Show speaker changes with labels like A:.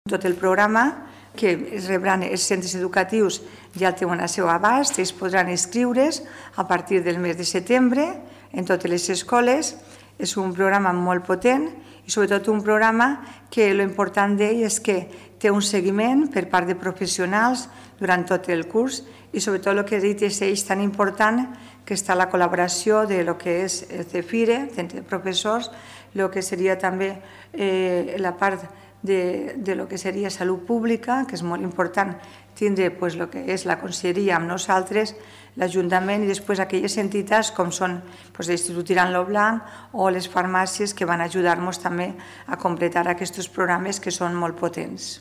A: Tot el programa que es rebran els centres educatius ja el tenen a seu abast, ells podran inscriure's a partir del mes de setembre en totes les escoles. És un programa molt potent i sobretot un programa que l'important d'ell és que té un seguiment per part de professionals durant tot el curs i sobretot el que he dit és eix tan important que està la col·laboració de lo que és el CEFIRE, entre professors, el que seria també la part de lo que seria salut pública, que és molt important tindre el que és la conselleria amb nosaltres, l'Ajuntament i després aquelles entitats com són l'Institut Tirant lo Blanc o les farmàcies que van ajudar-nos també a completar aquests programes que són molt potents.